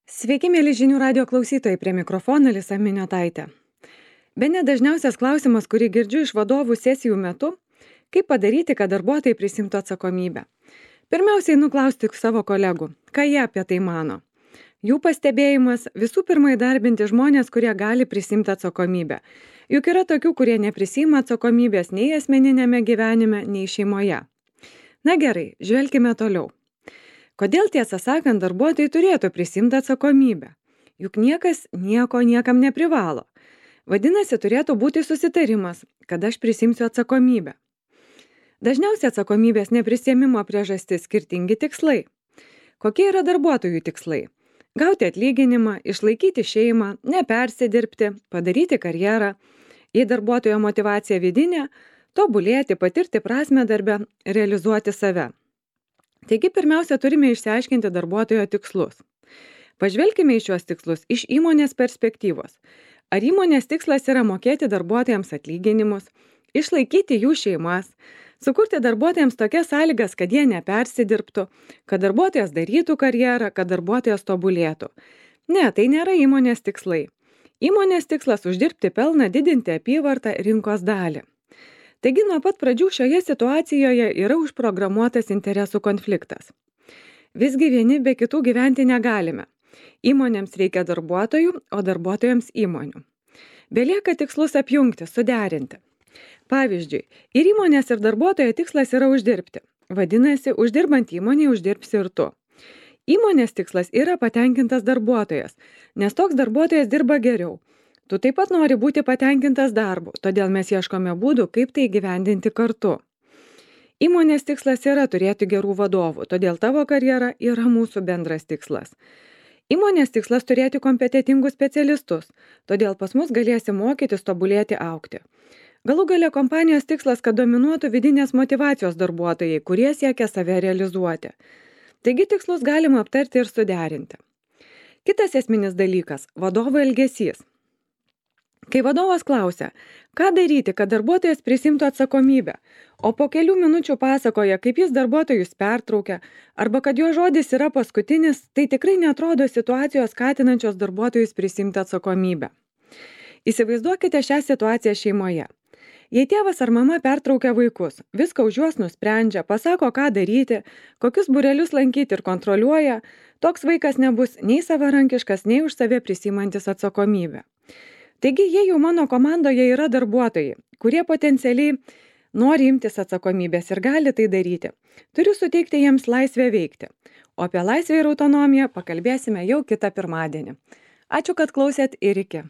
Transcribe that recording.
Sveiki, mėly žinių radio klausytojai, prie mikrofono Alisa Miniotaitė. Bene dažniausias klausimas, kurį girdžiu iš vadovų sesijų metu, kaip padaryti, kad darbuotojai prisimtų atsakomybę. Pirmiausiai nuklausti savo kolegų, ką jie apie tai mano. Jų pastebėjimas visų pirma įdarbinti žmonės, kurie gali prisimti atsakomybę. Juk yra tokių, kurie neprisima atsakomybės nei asmeninėme gyvenime, nei šeimoje. Na gerai, žvelkime toliau. Kodėl, tiesą sakant, darbuotojai turėtų prisimti atsakomybę? Juk niekas nieko niekam neprivalo. Vadinasi, turėtų būti susitarimas, kad aš prisimsiu atsakomybę. Dažniausiai atsakomybės neprisiėmimo priežastis skirtingi tikslai. Kokie yra darbuotojų tikslai? Gauti atlyginimą, išlaikyti šeimą, nepersidirbti, padaryti karjerą, jei darbuotojo motyvacija vidinė, tobulėti, patirti prasmę darbe, realizuoti save. Taigi pirmiausia, turime išsiaiškinti darbuotojo tikslus. Pažvelkime į šios tikslus iš įmonės perspektyvos. Ar įmonės tikslas yra mokėti darbuotojams atlyginimus, išlaikyti jų šeimas, sukurti darbuotojams tokias sąlygas, kad jie nepersidirbtų, kad darbuotojas darytų karjerą, kad darbuotojas tobulėtų. Ne, tai nėra įmonės tikslai. Įmonės tikslas uždirbti pelną, didinti apyvartą, rinkos dalį. Taigi nuo pat pradžių šioje situacijoje yra užprogramuotas interesų konfliktas. Visgi vieni be kitų gyventi negalime. Įmonėms reikia darbuotojų, o darbuotojams įmonių. Belieka tikslus apjungti, suderinti. Pavyzdžiui, ir įmonės ir darbuotojo tikslas yra uždirbti. Vadinasi, uždirbant įmonį uždirbsi ir tu. Įmonės tikslas yra patenkintas darbuotojas, nes toks darbuotojas dirba geriau. Tu taip pat nori būti patenkintas darbu, todėl mes ieškome būdų, kaip tai įgyvendinti kartu. Įmonės tikslas yra turėti gerų vadovų, todėl tavo karjera yra mūsų bendras tikslas. Įmonės tikslas turėti kompetentingus specialistus, todėl pas mus galėsi mokytis, tobulėti, augti. Galų gale kompanijos tikslas, kad dominuotų vidinės motyvacijos darbuotojai, kurie siekia save realizuoti. Taigi tikslus galima aptarti ir suderinti. Kitas esminis dalykas – vadovo elgesys. Kai vadovas klausia, ką daryti, kad darbuotojas prisimtų atsakomybę, o po kelių minučių pasakoja, kaip jis darbuotojus pertraukia, arba kad jo žodis yra paskutinis, tai tikrai neatrodo situacijos skatinančios darbuotojus prisimti atsakomybę. Įsivaizduokite šią situaciją šeimoje. Jei tėvas ar mama pertraukia vaikus, viską už juos nusprendžia, pasako, ką daryti, kokius būrelius lankyti ir kontroliuoja, toks vaikas nebus nei savarankiškas, nei už save prisimantis atsakomybę. Taigi, jei jau mano komandoje yra darbuotojai, kurie potencialiai nori imtis atsakomybės ir gali tai daryti, turiu suteikti jiems laisvę veikti. O apie laisvę ir autonomiją pakalbėsime jau kitą pirmadienį. Ačiū, kad klausėt ir iki.